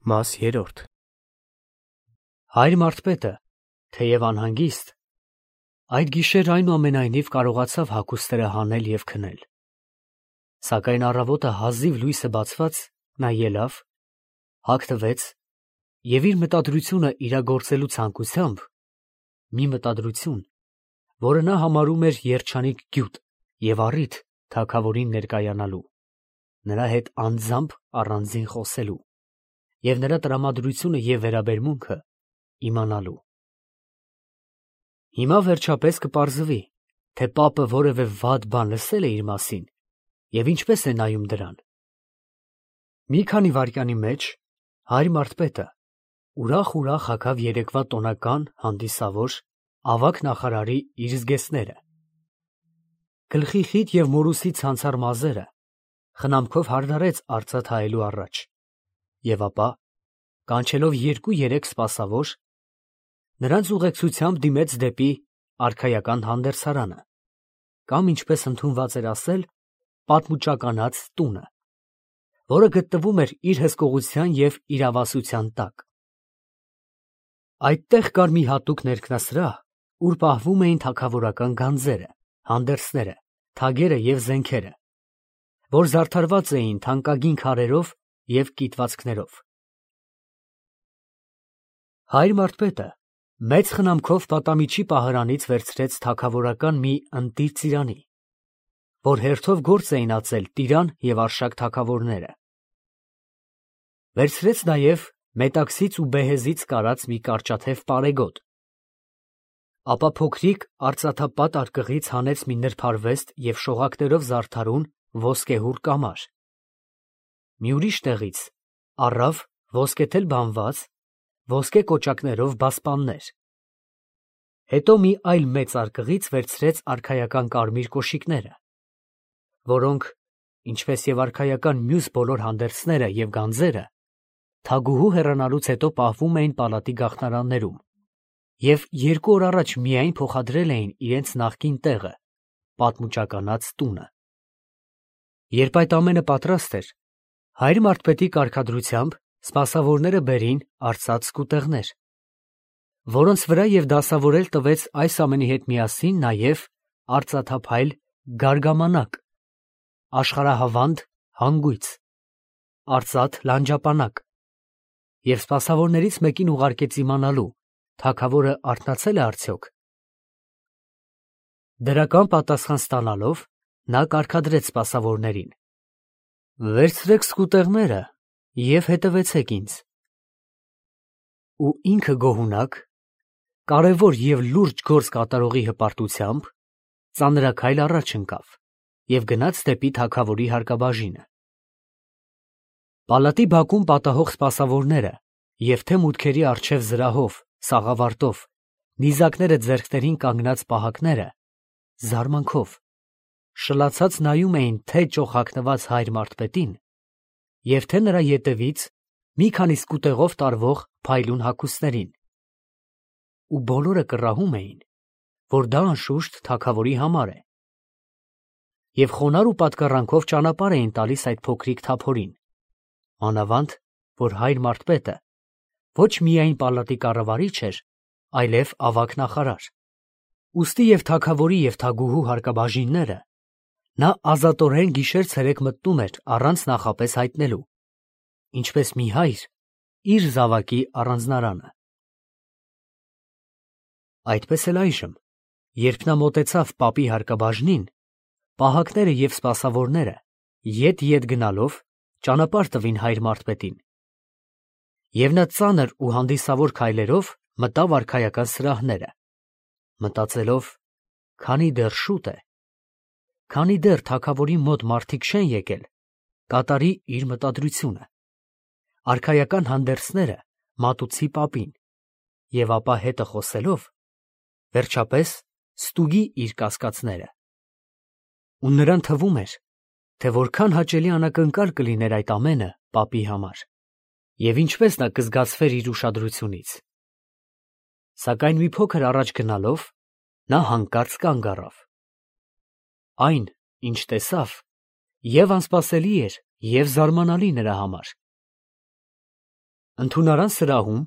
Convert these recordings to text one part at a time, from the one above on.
Մաս 3 Հայր Մարթպետը, թեև անհանգիստ, այդ գիշեր այնուամենայնիվ կարողացավ հագուստները հանել և քնել. սակայն առավոտը հազիվ լույսը բացված, նա ելավ, հագնվեց և իր մտադրությունը իրագործելու ցանկությամբ, մի մտադրություն, որը նա համարում էր երջանիկ գյուտ և առիթ թագավորին ներկայանալու, նրա հետ անձամբ առանձին խոսելու և նրա տրամադրությունը և վերաբերմունքը իմանալու։ Հիմա վերջապես կպարզվի, թե պապը որևէ վատ բան լսել է իր մասին և ինչպես է նայում դրան։ Մի քանի վայրկյանի մեջ հայր Մարթպետը ուրախ հագավ երեկվա տոնական, հանդիսավոր, ավագ նախարարի իր զգեստները, գլխի խիտ և մորուսի ցանցառ մազերը խնամքով հարդարեց արծաթ հայելու առաջ և ապա, կանչելով 2-3 սպասավոր, նրանց ուղեկցությամբ դիմեց դեպի արքայական հանդերձարանը կամ, ինչպես ընդունված էր ասել, պատմուճականած տունը, որը գտնվում էր իր հսկողության և իրավասության տակ։ Այդտեղ կար մի հատուկ ներքնասրահ, ուր պահվում էին թագավորական գանձերը, հանդերձները, թագերը և զենքերը, որ զարդարված էին թանկագին քարերով և կիտվածքներով։ Հայր Մարթպետը մեծ խնամքով պատամիջի պահարանից վերցրեց թագավորական մի ընտիր ծիրանի, որ հերթով գործ էին ածել Տիրան և Արշակ թագավորները։ Վերցրեց նաև մետաքսից ու բեհեզից կարած մի կարճաթև պարեգոտ, ապա փոքրիկ արծաթապատ արկղից հանեց մի նրբարվեստ և շողակներով զարդարուն ոսկեհուռ կամար, մի ուրիշ տեղից առավ ոսկեթել բանված, ոսկե կոճակներով բասպաններ, հետո մի այլ մեծ արկղից վերցրեց արքայական կարմիր կոշիկները, որոնք, ինչպես և արքայական մյուս բոլոր հանդերձները և գանձերը, թագուհու հեռանալուց հետո պահվում էին պալատի գաղթարաններում և 2 օր առաջ միայն փոխադրել էին իրենց նախկին տեղը, պատմուճականած տունը։ Երբ այդ ամենը պատրաստ էր, հայր Մարթպետի կարգադրությամբ սպասավորները բերին արծաթ սկուտեղներ, որոնց վրա և դասավորել տվեց այս ամենի հետ միասին նաև արծաթափայլ գարգամանակ, աշխարհահավանդ հանգույց, արծաթ լանջապանակ, և սպասավորներից մեկին ուղարկեց իմանալու, թագավորը արթնացել է արդյոք։ Դրական պատասխան ստանալով, նա կարգադրեց սպասավորներին. «Վերցրեք սկուտեղները և հետևեցեք ինձ»։ Ու ինքը գոհունակ, կարևոր և լուրջ գործ կատարողի հպարտությամբ, ծանրաքայլ առաջ ընկավ և գնաց դեպի թագավորի հարկաբաժինը։ Պալատի բակում պատահող սպասավորները և թե մուտքերի առջև զրահով, սաղավարտով, նիզակները ձեռքներին կանգնած պահակները զարմանքով, շլացած նայում էին թե ճոխհագնված հայր Մարթպետին և թե նրա ետևից մի քանի սկուտեղով տարվող փայլուն հագուստներին, ու բոլորը կռահում էին, որ դա անշուշտ թագավորի համար է, և խոնարհ ու պատկառանքով ճանապարհ էին տալիս այդ փոքրիկ թափորին, մանավանդ որ հայր Մարթպետը ոչ միայն պալատի կառավարիչ էր, այլև ավագ նախարար, ուստի և թագավորի և թագուհու հարկաբաժինները նա ազատորեն գիշեր֊ցերեկ մտնում էր առանց նախապես հայտնելու, ինչպես մի հայր իր զավակի առանձնարանը։ Այդպես էլ այժմ, երբ նա մոտեցավ պապի հարկաբաժնին, պահակները և սպասավորները ետ գնալով ճանապարհ տվին հայր Մարթպետին, և նա ծանր ու հանդիսավոր քայլերով մտավ արքայական սրահները, մտածելով. «Քանի դեռ շուտ է, քանի դեռ թագավորի մոտ մարդիկ չեն եկել, կատարի իր մտադրությունը, արքայական հանդերձները մատուցի պապին և ապա հետը խոսելով, վերջապես ստուգի իր կասկածները»։ Ու նրան թվում էր, թե որքան հաճելի անակնկալ կլիներ այդ ամենը պապի համար, և ինչպես նա կզգացվեր իր ուշադրությունից։ Սակայն մի փոքր առաջ գնալով, նա հանկարծ կանգ առավ։ Այն, ինչ տեսավ, և անսպասելի էր, և զարմանալի նրա համար։ Ընդունարան սրահում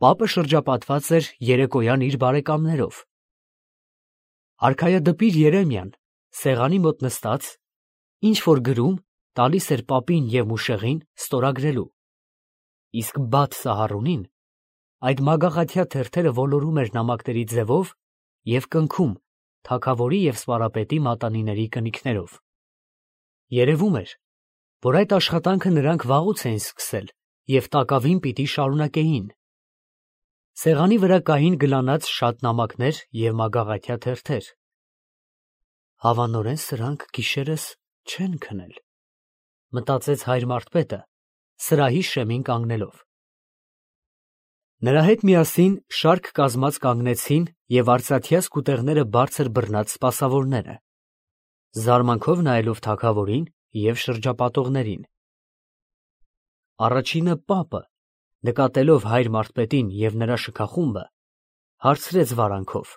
պապը շրջապատված էր երեկոյան իր բարեկամներով։ Արքայադպիր Երեմիան սեղանի մոտ նստած ինչ-որ գրում տալիս էր պապին և մուշեղին ստորագրելու, իսկ Բաթ Սահարունին այդ մագաղաթյա թերթերը ոլորում էր նամակների ձևով և կնքում թագավորի և սպարապետի մատանիների կնիքներով։ Երևում էր, որ այդ աշխատանքը նրանք վաղուց էին սկսել և տակավին պիտի շարունակեին։ Սեղանի վրա կային գլանած շատ նամակներ և մագաղաթյա թերթեր։ Հավանորեն սրանք գիշերս չեն քնել, մտածեց հայր Մարթպետը, սրահի շեմին կանգնելով։ Նրա հետ միասին շարք կազմած կանգնեցին և արծաթյա սկուտեղները բարձր բռնած սպասավորները, զարմանքով նայելով թագավորին և շրջապատողներին։ Առաջինը պապը, նկատելով հայր Մարթպետին և նրա շքախումբը, հարցրեց վարանքով.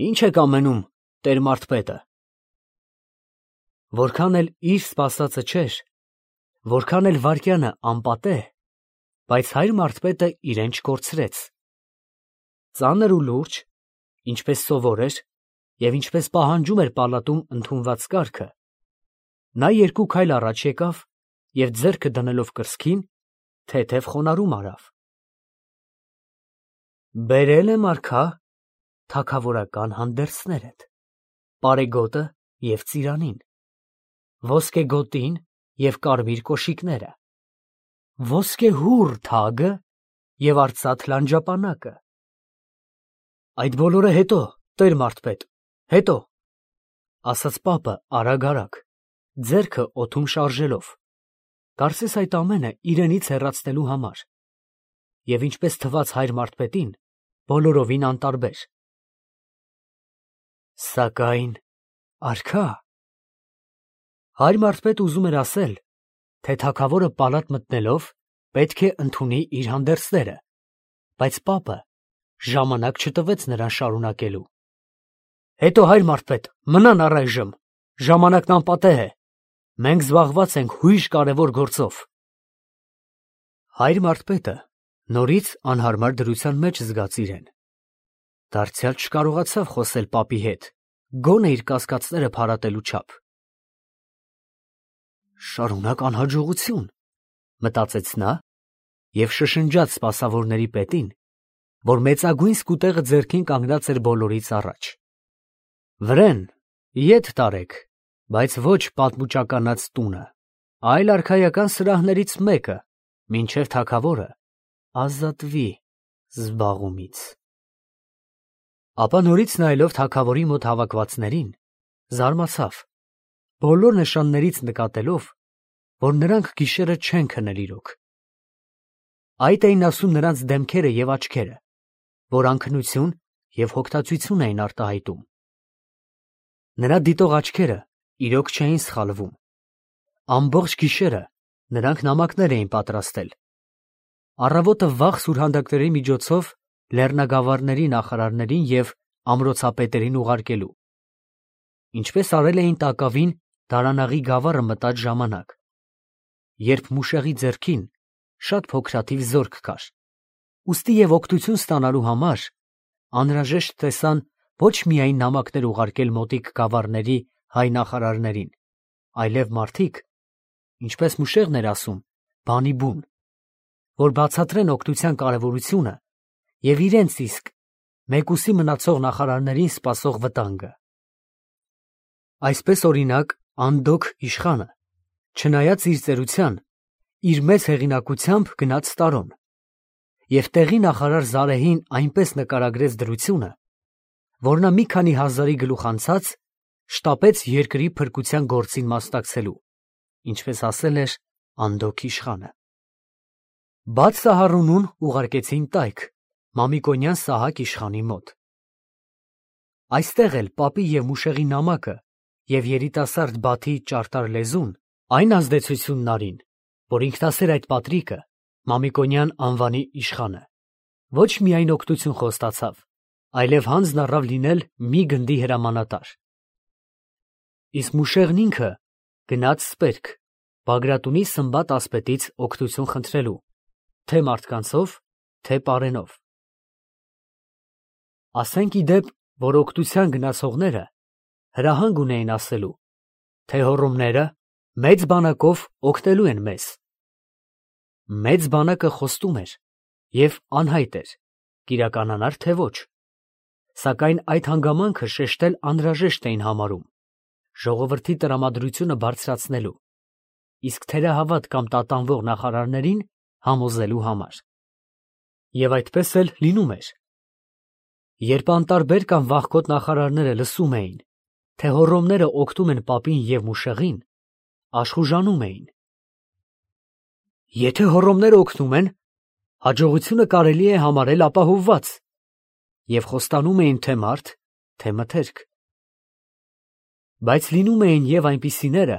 «Ի՞նչ եք ամենում, տեր Մարթպետը»։ Որքան էլ իր սպասածը չէր, որքան էլ վայրկյանը անպատեհ, բայց հայր Մարթպետը իրեն չկորցրեց։ Ծանր ու լուրջ, ինչպես սովոր էր և ինչպես պահանջում էր պալատում ընդունված կարգը, նա երկու քայլ առաջ եկավ և ձեռքը դնելով կրծքին, թեթև խոնարհում արավ. «Բերել եմ արքա թագավորական հանդերձներդ, պարեգոտը և ծիրանին, ոսկեգոտին և կարմիր կոշիկները, ոսկեհուռ թագը և արծաթ լանջապանակը»։ Այդ բոլորը հետո, տեր Մարթպետ, հետո, ասաց պապը արագ, ձեռքը օդում շարժելով, կարծես այդ ամենը իրենից հեռացնելու համար, և ինչպես թվաց հայր Մարթպետին, բոլորովին անտարբեր։ Սակայն արքա… Հայր Մարթպետը ուզում էր ասել, թե թագավորը պալատ մտնելով պետք է ընդունի իր հանդերձները, բայց պապը ժամանակ չտվեց նրան շարունակելու։ Հետո, հայր Մարթպետ, մնան առայժմ, ժամանակն անպատեհ է, մենք զբաղված ենք հույժ կարևոր գործով։ Հայր Մարթպետը նորից անհարմար դրության մեջ զգաց իրեն, դարձյալ չկարողացավ խոսել պապի հետ, գոնե իր կասկածները փարատելու չափ։ Շարունակ անհաջողություն, մտածեց նա և շշնջաց սպասավորների պետին, որ մեծագույն սկուտեղը ձեռքին կանգնած էր բոլորից առաջ. Վրեն, ետ տարեք, բայց ոչ պատմուճականած տունը, այլ արքայական սրահներից մեկը, մինչև թագավորը ազատվի զբաղումից։ Ապա նորից նայելով թագավորի մոտ հավաքվածներին, զարմացավ, բոլոր նշաններից նկատելով, որ նրանք գիշերը չեն քնել իրոք։ Այդ էին ասում նրանց դեմքերը և աչքերը, որ անքնություն և հոգնածություն էին արտահայտում։ Նրա դիտող աչքերը իրոք չէին սխալվում։ Ամբողջ գիշերը նրանք նամակներ էին պատրաստել։ Առավոտը վաղ սուրհանդակների միջոցով լեռնագավառների նախարարներին և ամրոցապետերին ուղարկելու, ինչպես արել էին տակավին Դարանաղի գավառը մտած ժամանակ, երբ Մուշեղի ձեռքին շատ փոքրաթիվ զորք կար, ուստի և օգնություն ստանալու համար անհրաժեշտ տեսան ոչ միայն նամակներ ուղարկել մոտիկ գավառների հայ նախարարներին, այլև մարդիկ, ինչպես Մուշեղն էր ասում, բանի բուն, որ բացատրեն օգնության կարևորությունը և իրենց իսկ մեկուսի մնացող նախարարներին սպասող վտանգը։ Այսպես, օրինակ, Անդոք իշխանը, չնայած իր ծերության, իր մեծ հեղինակությամբ գնաց Տարոն և տեղի նախարար Զարեհին այնպես նկարագրեց դրությունը, որ նա մի քանի հազարի գլուխ անցած շտապեց երկրի փրկության գործին մասնակցելու, ինչպես ասել էր Անդոք իշխանը։ Բաթ Սահարունուն ուղարկեցին տայք Մամիկոնյան Սահակ իշխանի մոտ։ Այստեղ էլ պապի և Մուշեղի նամակը և երիտասարդ Բաթի ճարտար լեզուն այն ազդեցությունն արին, որ ինքնասեր այդ պատրիկը, Մամիկոնյան անվանի իշխանը, ոչ միայն օգնություն խոստացավ, այլև հանձն առավ լինել մի գնդի հրամանատար։ Իսկ Մուշեղն ինքը գնաց Սպերք, Բագրատունի Սմբատ ասպետից օգնություն խնդրելու, թե մարդկանցով, թե պարենով։ Ասենք ի դեպ, որ օգտության գնացողները հրահանգ ունեին ասելու, թե հոռոմները մեծ բանակով օգնելու են մեզ։ Մեծ բանակը խոստում էր և անհայտ էր, կիրականանար թե ոչ, սակայն այդ հանգամանքը շեշտել անհրաժեշտ էին համարում, ժողովրդի տրամադրությունը բարձրացնելու, իսկ թերահավատ կամ տատանվող նախարարներին համոզելու համար։ Եվ այդպես էլ լինում էր։ Երբ անտարբեր կամ վախկոտ նախարարները լսում էին, թե հոռոմները օգնում են պապին և մուշեղին, աշխուժանում էին։ Եթե հոռոմները օգնում են, հաջողությունը կարելի է համարել ապահովված, և խոստանում էին թե մարդ, թե մթերք։ Բայց լինում էին և այնպիսիները,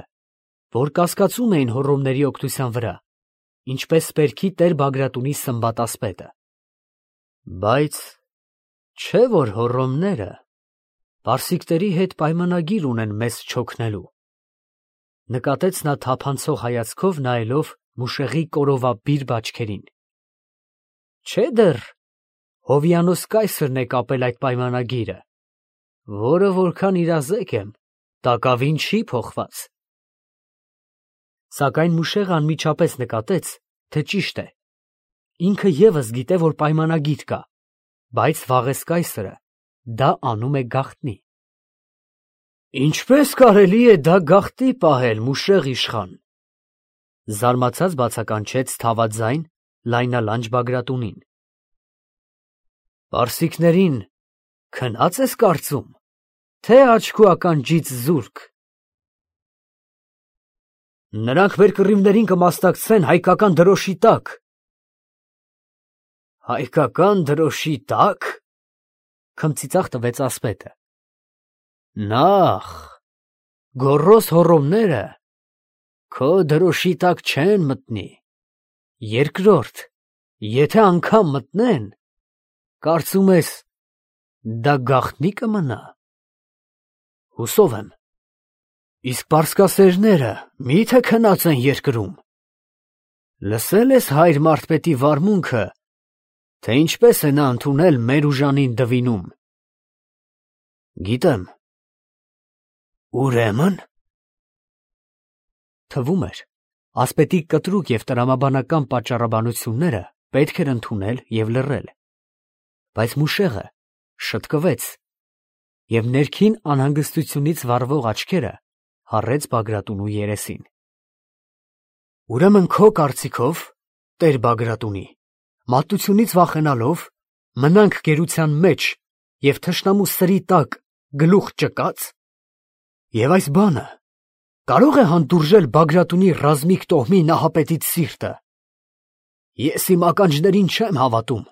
որ կասկածում էին հոռոմների օգնության վրա, ինչպես Սպերքի տեր Բագրատունի Սմբատասպետը։ Բայց չէ՞ որ հոռոմները պարսիկների հետ պայմանագիր ունեն մեզ չօգնելու, նկատեց նա թափանցող հայացքով նայելով մուշեղի կորովաբիր բաճկերին։ Չէ՞ դեռ Հովիանոս կայսրն է կապել այդ պայմանագիրը, որը որքան իրազեկ եմ, տակավին չի փոխված։ Սակայն մուշեղը անմիջապես նկատեց, թե ճիշտ է, ինքը ևս գիտե, որ պայմանագիր կա, բայց վաղես կայսրը դա անում է գաղտնի։ Ինչպե՞ս կարելի է դա գաղտնի պահել, մուշեղ իշխան, զարմացած բացականչեց թավաձայն, լայնալանջ Բագրատունին։ Պարսիկներին քնած ես կարծում, թե աչքու ականջից զուրկ։ Նրանք մեր կռիվներին կմասնակցեն հայկական դրոշի տակ։ Հայկական դրոշի տա՞կ, քմծիծաղ տվեց ասպետը։ Նախ, գոռոզ հոռոմները քո դրոշի տակ չեն մտնի։ Երկրորդ, եթե անգամ մտնեն, կարծում ես, դա գաղտնի կմնա։ Հուսով եմ։ Իսկ պարսկասերները մի՞թե քնած են երկրում։ Լսել ես հայր մարդպետի վարմունքը, թե ինչպես է նա ընդունել մեր ուժանին դվինում։ Գիտեմ։ Ուրեմն։ Թվում էր, ասպետի կտրուկ և տրամաբանական պատճառաբանությունները պետք էր ընդունել և լռել, բայց մուշեղը շտկվեց, և ներքին անհանգստությունից վառվող աչքերը հառեց Բագրատունու երեսին։ Ուրեմն քո կարծիքով, տեր Բագրատունի, մատությունից վախենալով, մնանք գերության մեջ և թշնամու սրի տակ գլուխ ճկած։ Եվ այս բանը կարո՞ղ է հանդուրժել Բագրատունի ռազմիկ տոհմի նահապետից սիրտը։ Ես իմ ականջներին չեմ հավատում,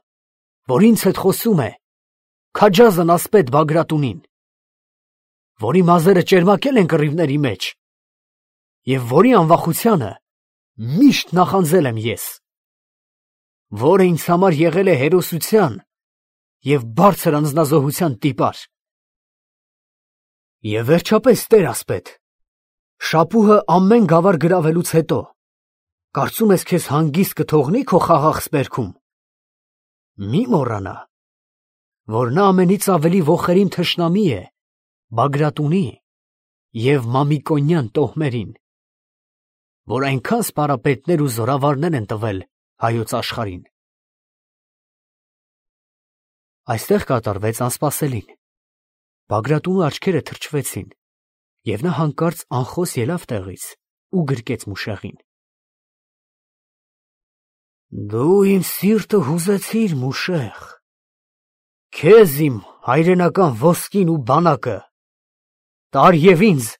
որ ինձ հետ խոսում է քաջազն ասպետ Բագրատունին, որի մազերը ճերմակել են կռիվների մեջ, և որի անվախությանը միշտ նախանձել եմ ես, որը ինձ համար եղել է հերոսության և բարձր անձնազոհության տիպար։ Եվ վերջապես, տեր ասպետ, շապուհը ամեն գավառ գրավելուց հետո, կարծում ես քեզ հանգիստ կթողնի քո խաղաղ Սպերքում։ Մի մոռանա, որ նա ամենից ավելի ոխերիմ թշնամի է Բագրատունի և Մամիկոնյան տոհմերին, որ այնքան սպառապետներ ու զորավարներ են տվել հայոց աշխարհին։ Այստեղ կատարվեց անսպասելին։ Բագրատունու աչքերը թրջվեցին, և նա հանկարծ անխոս ելավ տեղից ու գրկեց մուշեղին։ Դու իմ սիրտը հուզեցիր, մուշեղ, քեզ իմ հայրենական ոսկին ու բանակը, տար և ինձ,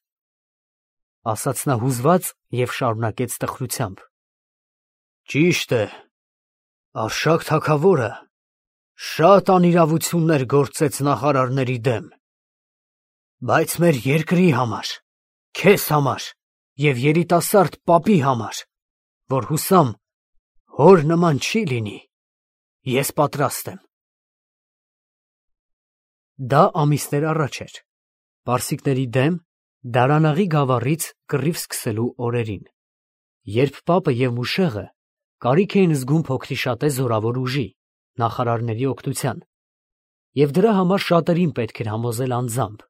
ասաց նա հուզված և շարունակեց տխրությամբ. Ճիշտ է, Արշակ թագավորը շատ անիրավություններ գործեց նախարարների դեմ, բայց մեր երկրի համար, քեզ համար և երիտասարդ պապի համար, որ հուսամ հոր նման չի լինի, ես պատրաստ եմ։ Դա ամիսներ առաջ էր, պարսիկների դեմ Դարանաղի գավառից կռիվ սկսելու օրերին, երբ պապը և մուշեղը Կարիք էին զգում փոքրիշատե զորավոր ուժի, նախարարների օգնության, և դրա համար շատերին պետք էր համոզել անձամբ։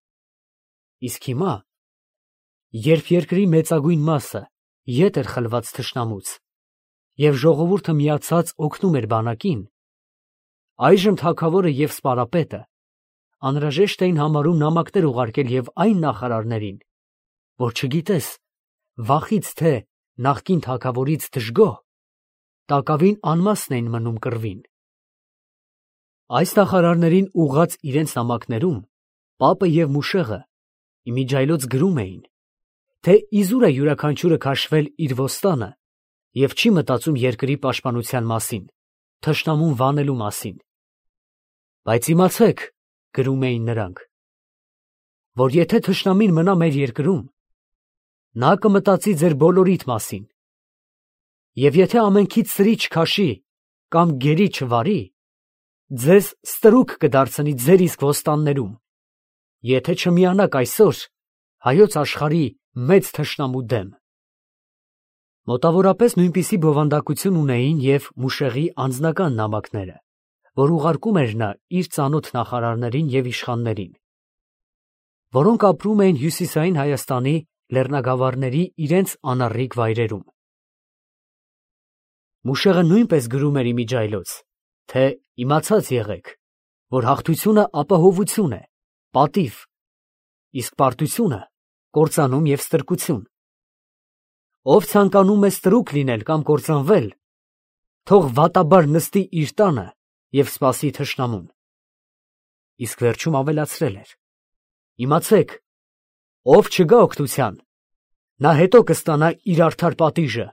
Իսկ հիմա, երբ երկրի մեծագույն մասը ետ էր խլված թշնամուց, և ժողովուրդը միացած օգնում էր բանակին, այժմ թագավորը և սպարապետը անհրաժեշտ էին համարում նամակներ ուղարկել և այն նախարարներին, որ չգիտես, վախից թե նախկին թագավորից դժգոհ, տակավին անմասն էին մնում կռվին։ Այս նախարարներին ուղղած իրենց նամակներում պապը և Մուշեղը իմիջիայլոց գրում էին, թե իզուր է յուրաքանչյուրը քաշվել իր ոստանը և չի մտածում երկրի պաշտպանության մասին, թշնամուն վանելու մասին։ Բայց իմացեք, գրում էին նրանք, որ եթե թշնամին մնա մեր երկրում, նա կմտածի ձեր բոլորիդ մասին, և եթե ամենքից սրի չքաշի կամ գերի չվարի, ձեզ ստրուկ կդարձնի ձեր իսկ ոստաններում, եթե չմիանաք այսօր հայոց աշխարհի մեծ թշնամու դեմ։ Մոտավորապես նույնպիսի բովանդակություն ունեին և Մուշեղի անձնական նամակները, որ ուղարկում էր նա իր ծանոթ նախարարներին և իշխաններին, որոնք ապրում էին հյուսիսային Հայաստանի լեռնագավառների իրենց անառիկ վայրերում։ Մուշեղը նույնպես գրում էր իմիջիայլոց, թե իմացած եղեք, որ հաղթությունը ապահովություն է, պատիվ, իսկ պարտությունը կործանում և ստրկություն։ Ով ցանկանում է ստրուկ լինել կամ կործանվել, թող վատաբար նստի իր տանը և սպասի թշնամուն։ Իսկ վերջում ավելացրել էր. իմացեք, ով չգա օգնության, նա հետո կստանա իր արդար պատիժը։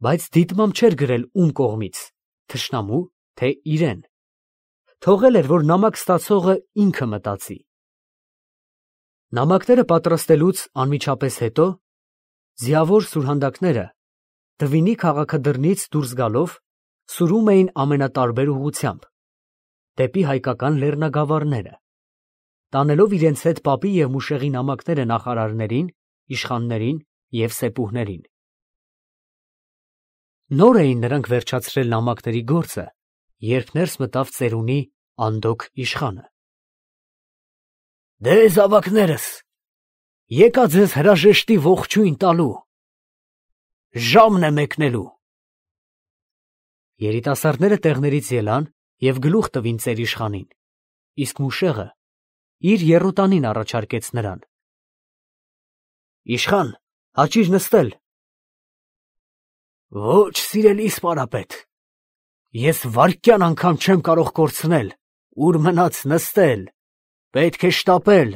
Բայց դիտմամբ չէր գրել ում կողմից, թշնամու, թե իրեն. թողել էր, որ նամակ ստացողը ինքը մտածի։ Նամակները պատրաստելուց անմիջապես հետո ձիավոր սուրհանդակները Դվինի քաղաքադրնից դուրս գալով սուրում էին ամենատարբեր ուղղությամբ, դեպի հայկական լեռնագավառները, տանելով իրենց հետ պապի և Մուշեղի նամակները նախարարներին, իշխաններին և սեպուհներին։ Նոր էին նրանք վերջացրել նամակների գործը, երբ ներս մտավ ծերունի Անդոք իշխանը։ «Դե, զավակներս, եկա ձեզ հրաժեշտի ողջույն տալու, ժամն է մեկնելու»։ Երիտասարդները տեղներից ելան և գլուխ տվին ծերիշխանին, իսկ Մուշեղը իր եռոտանին առաջարկեց նրան. «Իշխան, հաճիր նստել»։ «Ոչ, սիրելի սպարապետ, ես վայրկյան անգամ չեմ կարող կորցնել, ուր մնաց նստել, պետք է շտապել,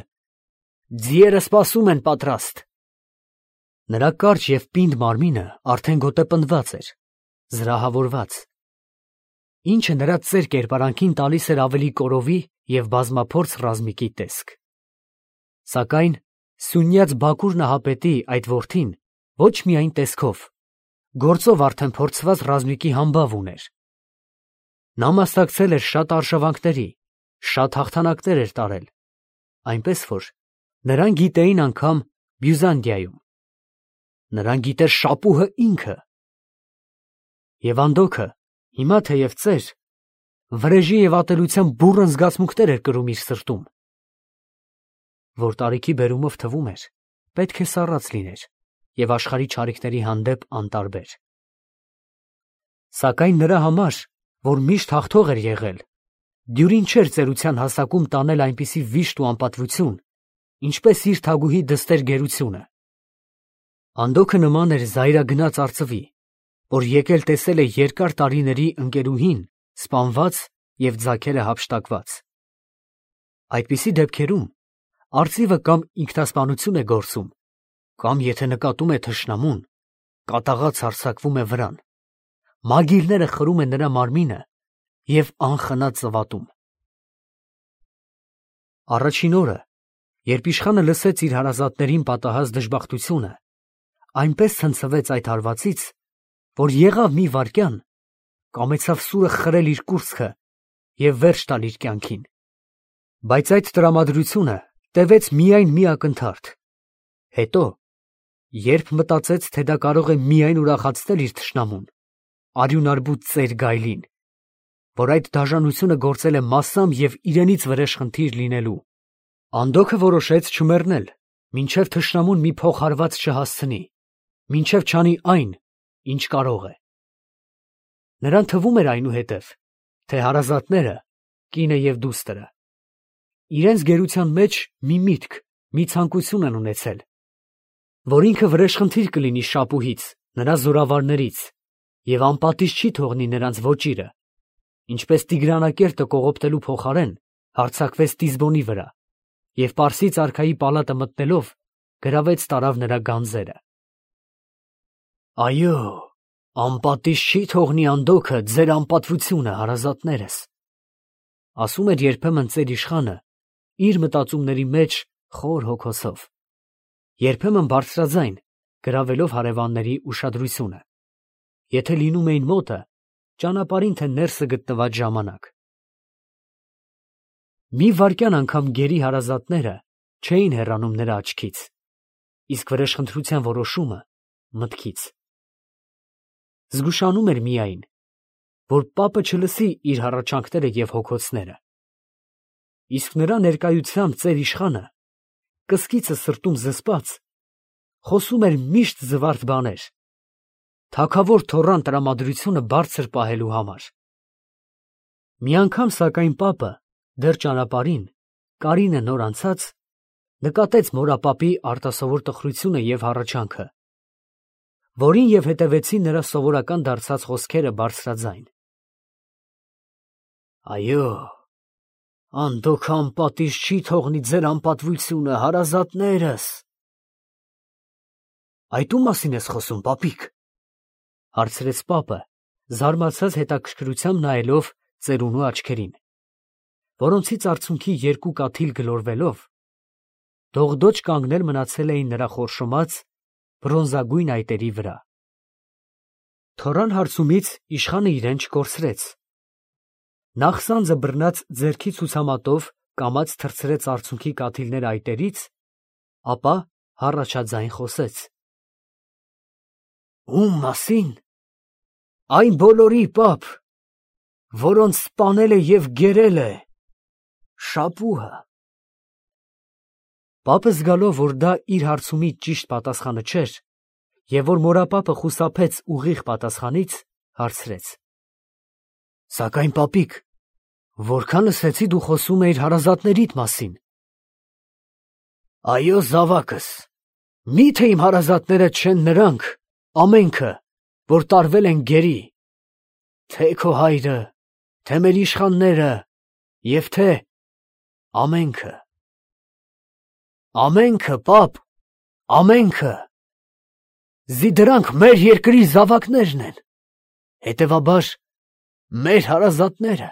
ձիերը սպասում են պատրաստ»։ Նրա կարճ և պինդ մարմինը արդեն գոտեպնդված էր, զրահավորված, ինչը նրա ծեր կերպարանքին տալիս էր ավելի կորովի և բազմափորձ ռազմիկի տեսք։ Սակայն սյունյաց Բաքուր նահապետի այդ որդին ոչ միայն տեսքով, գործով արդեն փորձված ռազմիկի համբավ ուներ։ Նա մասնակցել էր շատ արշավանքների, շատ հաղթանակներ էր տարել, այնպես որ նրան գիտեին անգամ Բյուզանդիայում։ Նրան գիտեր շապուհը ինքը։ Եվ Անդոքը հիմա թեև ծեր, վրեժի և ատելության բուռն զգացմունքներ էր կրում իր սրտում, որ տարիքի բերումով թվում էր, պետք է սառած լիներ և աշխարհի չարիքների հանդեպ անտարբեր։ Սակայն նրա համար, որ միշտ հաղթող էր եղել, դյուրին չէր ծերության հասակում տանել այնպիսի վիշտ ու անպատվություն, ինչպես իր թագուհի դստեր գերությունը։ Անդոքը նման էր զայրագնաց արծվի, որ եկել տեսել է երկար տարիների ընկերուհին սպանված և ձագերը հափշտակված։ Այդպիսի դեպքերում արծիվը կամ ինքնասպանություն է գործում, կամ եթե նկատում է թշնամուն, կատաղած հարձակվում է վրան, մագիլները խրում են նրա մարմինը և անխնա ծվատում։ Առաջին օրը, երբ իշխանը լսեց իր հարազատներին պատահած դժբախտությունը, այնպես ցնցվեց այդ հարվածից, որ եղավ մի վայրկյան, կամեցավ սուրը խրել իր կուրծքը և վերջ տալ իր կյանքին։ Բայց այդ տրամադրությունը տևեց միայն մի ակնթարթ, հետո, երբ մտածեց, թե դա կարող է միայն ուրախացնել իր թշնամուն, արյունարբուտ ծեր գայլին, որ այդ դաժանությունը գործել է massամբ և իրենից վրեժխնդիր լինելու։ Անդոքը որոշեց չմեռնել, մինչև թշնամուն մի փոխհարված չհասցնի, մինչև չանի այն, ինչ կարող է։ Նրան թվում էր այնուհետև, թե հարազատները, կինը և դուստրը, իրենց գերության մեջ մի միտք, մի ցանկություն են ունեցել, որ ինքը վրեժխնդիր կլինի շապուհից, նրա զորավարներից և անպատիժ չի թողնի նրանց ոճիրը, ինչպես Տիգրանակերտը կողոպտելու փոխարեն հարձակվեց Տիզբոնի վրա և Պարսից արքայի պալատը մտնելով գրավեց տարավ նրա գանձերը։ Այո, անպատիժ չի թողնի Անդոքը ձեր անպատվությունը, հարազատներս, ասում էր երբեմն ծեր իշխանը իր մտածումների մեջ խոր հոգոսով, երբեմն բարձրաձայն գրավելով հարևանների ուշադրությունը, եթե լինում էին մոտը, ճանապարհին թե ներսը գտնված ժամանակ։ Մի վայրկյան անգամ գերի հարազատները չէին հեռանում նրա աչքից, իսկ վրեժխնդրության որոշումը մտքից։ Զգուշանում էր միայն, որ պապը չլսի իր հառաչանքները և հոգոցները, իսկ նրա ներկայությամբ ծեր իշխանը, կսկիցը սրտում զսպած, խոսում էր միշտ զվարթ բաներ, թագավոր թոռան տրամադրությունը բարձր պահելու համար։ Մի անգամ, սակայն, պապը դեռ ճանապարհին, Կարինը նոր անցած, նկատեց մորապապի արտասովոր տխրությունը և հառաչանքը, որին և հետևեցին նրա սովորական դարձած խոսքերը բարձրաձայն. Այո, Անդոքը անպատիժ չի թողնի ձեր անպատվությունը, հարազատներս։ Այդ ում մասին ես խոսում, պապիկ, հարցրեց պապը, զարմացած հետաքրքրությամբ նայելով ծերունու աչքերին, որոնցից արցունքի երկու կաթիլ գլորվելով, դողդոջ կանգնել մնացել էին նրա խորշոմած բրոնզագույն այտերի վրա։ Թոռան հարցումից իշխանը իրեն չկորցրեց։ Նախսանձը բռնած ձեռքի ցուցամատով կամաց թռցրեց արցունքի կաթիլները այտերից, ապա հառաչաձայն խոսեց. Ում մասին։ Այն բոլորի, պապ, որոնց սպանել է և գերել է շապուհը։ Պապը զգալով, որ դա իր հարցումի ճիշտ պատասխանը չէր, և որ մորապապը խուսափեց ուղիղ պատասխանից, հարցրեց. Սակայն, պապիկ, որքան լսեցի, դու խոսում էիր հարազատներիդ մասին։ Այո, զավակս, մի՞թե իմ հարազատները չեն նրանք, ամենքը, որ տարվել են գերի, թե քո հայրը, թե մեր իշխանները և թե ամենքը։ Ամենքը, պապ, ամենքը։ Դրանք մեր երկրի զավակներն են, հետևաբար, մեր հարազատները։